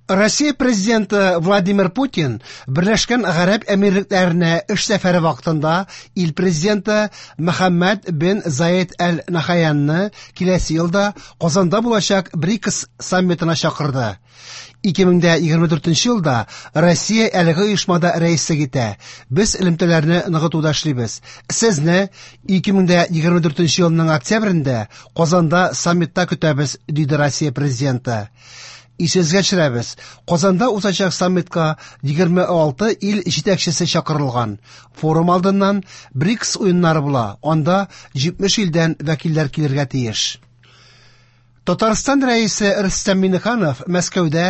Россия президенты Владимир Путин Берләшкән Гарәп Әмирлекләренә эш сәфәре вакытында ил президенты Мөхәммәд бен Заед Әл-Нахаянны киләсе елда Казанда булачак БРИКС саммитына чакырды. 2024 елда Россия әлеге оешмада рәислек итә. Без элемтәләрне ныгытуда эшлибез. Сезне 2024 елның октябрендә Казанда саммитта көтәбез, диде Россия президенты. Исегезгә төшерәбез, Казанда узачак саммитка 26 ил җитәкчесе чакырылган. Форум алдыннан БРИКС уеннары була, анда 70 илдән вәкилләр килергә тиеш. Татарстан Рәисе Рөстәм Миңнеханов Мәскәүдә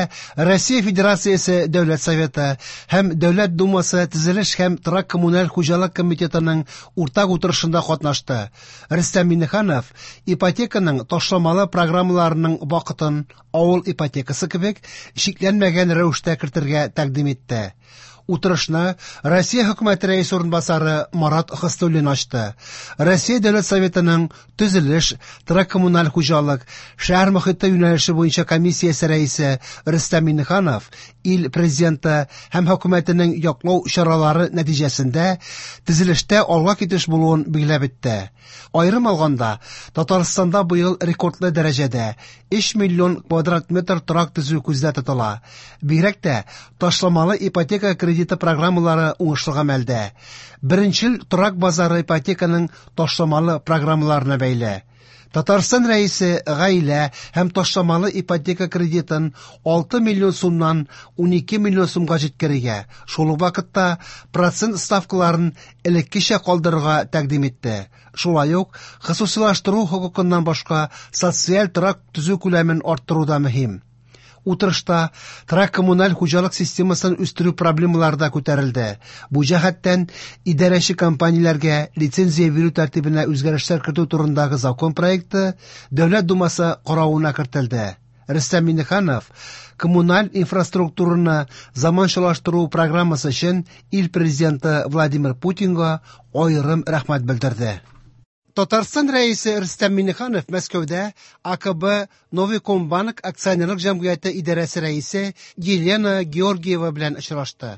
Россия Федерациясе Дәүләт Советы һәм Дәүләт Думасы Төзелеш һәм торак-коммуналь хуҗалык комитетының уртак утырышында катнашты. Рөстәм Миңнеханов ипотеканың ташламалы программаларының вакытын авыл ипотекасы кебек чикләнмәгән рәвештә кертергә тәкъдим итте. Утырышны Россия хөкүмәте рәисе урынбасары Марат Хөснуллин ачты. Россия Дәүләт Советының төзелеш, торак-коммуналь хуҗалык, шәһәр мохите юнәлеше буенча комиссиясе рәисе Рөстәм Миңнеханов ил президенты һәм хөкүмәтенең яклау чаралары нәтиҗәсендә төзелештә алга китеш булуын билгеләп үтте. Аерым алганда, Татарстанда быел рекордлы дәрәҗәдә 3 миллион квадрат метр торак төзү күздә тотыла. Бигрәк тә ташламалы ипотека кредиты программалары уңышлы гамәлдә. Беренчел торак базары ипотеканың ташламалы программаларына бәйле. Татарстан Рәисе гаилә һәм ташламалы ипотека кредитын 6 миллион сумнан 12 миллион сумга җиткерергә, шул ук вакытта процент ставкаларын элеккечә калдырырга тәкъдим итте. Шулай ук хосусыйлаштыру хокукыннан башка социаль торак төзү күләмен арттыру да мөһим. Утырышта торак-коммуналь хуҗалык системасын үстерү проблемалары да күтәрелде. Бу җәһәттән идарәче компанияләргә лицензия бирү тәртибенә үзгәрешләр кертү турындагы закон проекты Дәүләт Думасы каравына кертелде. Рөстәм Миңнеханов коммуналь инфраструктураны заманчалаштыру программасы өчен ил президенты Владимир Путинга аерым рәхмәт белдерде. Татарстан Рәисе Рөстәм Миңнеханов Мәскәүдә АКБ Новикомбанк акционерлык җәмгыяте идарәсе рәисе Елена Георгиева белән очрашты.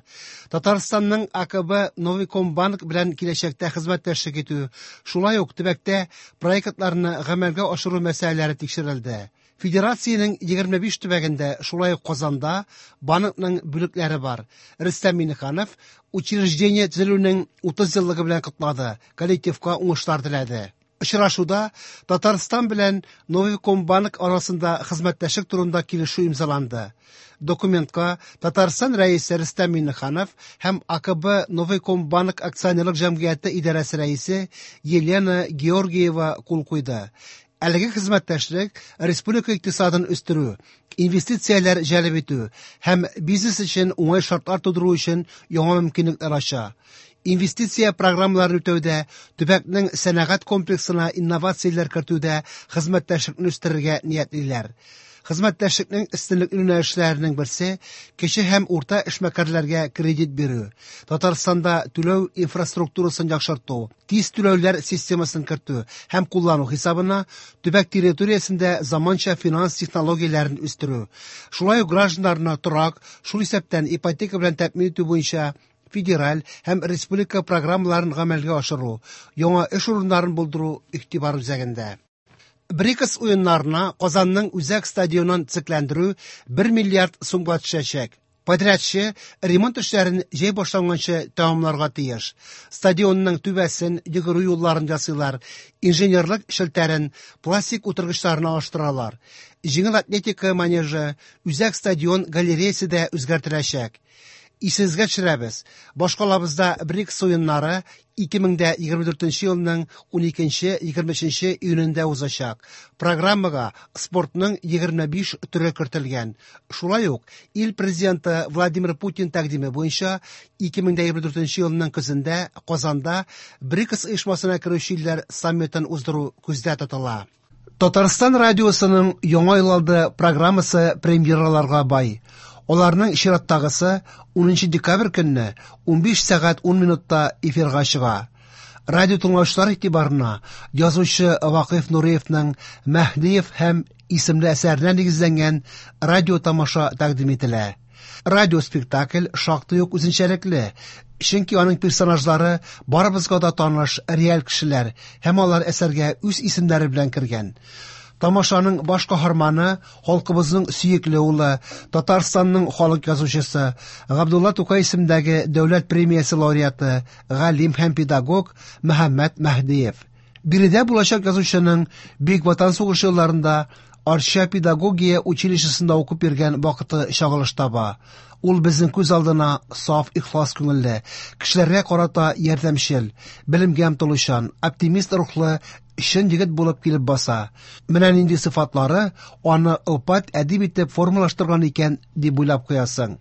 Татарстанның АКБ Новикомбанк белән киләчәктә хезмәттәшлек итү, шулай ук төбәктә проектларны гамәлгә ашыру мәсьәләләре тикшерелде. Федерациянең 25 төбәгендә, шулай ук Казанда банкның бүлекләре бар. Рөстәм Миңнеханов учреждение төзелүнең 30 еллыгы белән котлады, коллективка уңышлар теләде. Очрашуда Татарстан белән Новикомбанк арасында хезмәттәшлек турында килешү имзаланды. Документка Татарстан Рәисе Рөстәм Миңнеханов һәм АКБ Новикомбанк акционерлык җәмгыяте идарәсе рәисе Елена Георгиева кул куйды. Әлеге хезмәттәшлек республика икътисадын үстерү, инвестицияләр җәлеп итү һәм бизнес өчен уңай шартлар тудыру өчен яңа мөмкинлекләр ача. Инвестиция программаларын үтәүдә, төбәкнең сәнәгать комплексына инновацияләр кертүдә хезмәттәшлекне үстерергә ниятлиләр. Хезмәттәшлекнең өстенлекле юнәлешләренең берсе кече һәм урта эшмәкәрләргә кредит бирү, Татарстанда түләү инфраструктурасын яхшырту, тиз түләүләр системасын кертү һәм куллану хисабына төбәк территориясендә заманча финанс технологияләрен үстерү. Шулай ук гражданнарны торак, шул исәптән ипотека белән тәэмин итү буенча федераль һәм республика программаларын гамәлгә ашыру, яңа эш урыннарын булдыру игътибар үзәгендә. БРИКС уеннарына Казанның үзәк стадионын төзекләндерү 1 миллиард сумга төшәчәк. Подрядчы ремонт эшләрен җәй башланганчы тәмамларга тиеш. Стадионның түбәсен, йөгерү юлларын ясыйлар, инженерлык челтәрен, пластик утыргычларны алыштыралар. Җиңел атлетика манежы, үзәк стадион галереясе дә үзгәртеләчәк. Исегезгә төшерәбез, башкалабызда БРИКС уеннары 2024 елның 12-23 июнендә узачак. Программага спортның 25 төре кертелгән. Шулай ук ил президенты Владимир Путин тәкъдиме буенча 2024 елның көзендә Казанда БРИКС оешмасына керүче илләр саммитын уздыру күздә тотыла. Татарстан радиосының Яңа ел алды программасы премьераларга бай. Аларның чираттагысы 10 декабрь көнне 15 сәгать 10 минутта эфирга чыга. Радио тыңлаучылар игътибарына язучы Вакыйф Нуриевның Мәһдиев һәм исемле әсәренә нигезләнгән радиотамаша тәкъдим ителә. Радиоспектакль шактый ук үзенчәлекле, чөнки аның персонажлары барыбызга да таныш реаль кешеләр һәм алар әсәргә үз исемнәре белән кергән. Тамашаның баш каһарманы халкыбызның сөекле улы, Татарстанның халык язучысы, Габдулла Тукай исемендәге дәүләт премиясе лауреаты, галим һәм педагог Мөхәммәт Мәһдиев. Биредә булачак язучының Бөек Ватан сугышы елларында Арча педагогия училищесында укып йөргән вакыты чагылыш таба. Ул безнең күз алдына саф, ихлас күңелле, кешеләргә карата ярдәмчел, белемгә омтылучан, оптимист рухлы чын егет булып килеп баса. Менә нинди сыйфатлары аны олпат әдип итеп формалаштырган икән, дип уйлап куясың.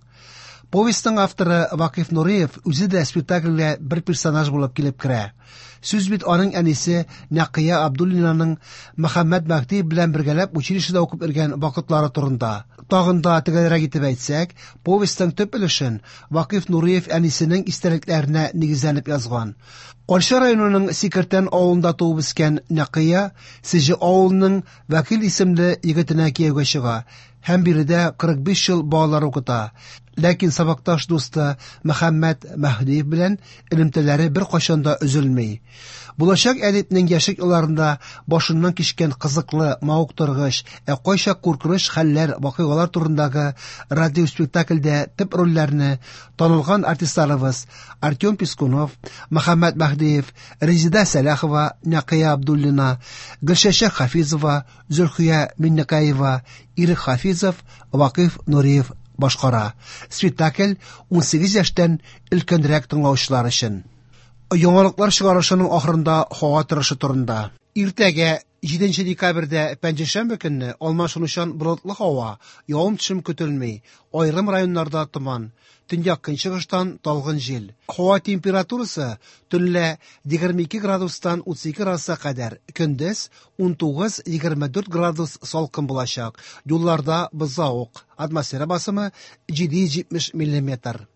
Повестьның авторы Вакыйф Нуриев үзе дә спектакльгә бер персонаж булып килеп керә. Сүз бит аның әнисе Нәкыя Абдуллинаның Мөхәммәт Мәһдиев белән бергәләп училищеда укып йөргән вакытлары турында. Тагын да төгәлрәк итеп әйтсәк, повестьның төп өлешен Вакыйф Нуриев әнисенең истәлекләренә нигезләнеп язган. Арча районының Сикертән авылында туып үскән Нәкыя Сеҗе авылының Вәкил исемле егетенә кияүгә чыга һәм биредә 45 ел балалар укыта. Ләкин сабакташ дусты Мөхәммәт Мәһдиев белән элемтәләре беркайчан да өзелми. Булачак әдипнең яшьлек елларында башыннан кичкән кызыклы, мавыктыргыч, ә кайчак куркыныч хәлләр, вакыйгалар турындагы радиоспектакльдә төп рольләрне танылган артистларыбыз Артем Пискунов, Мөхәммәт Мәһдиев, Резеда Сәлахова, Нәкыя Абдуллина, Гөлчәчәк Хафизова, Зөлхия Миннекаева, Ирек Хафизов, Вакыйф Нуриев башкара. Спектакль 18 яшьтән өлкәнрәк тыңлаучылар өчен. Яңалыклар чыгарышының ахырында һава торышы турында. Иртәгә 7 декабрьдә пәнҗешәмбе көнне алмашынучан болытлы һава, явым-төшем көтелми, аерым районнарда томан, төньяк-көнчыгыштан талгын җил. Һава температурасы төнлә 22 градустан 32 градуска кадәр, көндез 19-24 градус салкын булачак. Юлларда бозлавык, атмосфера басымы 770 миллиметр.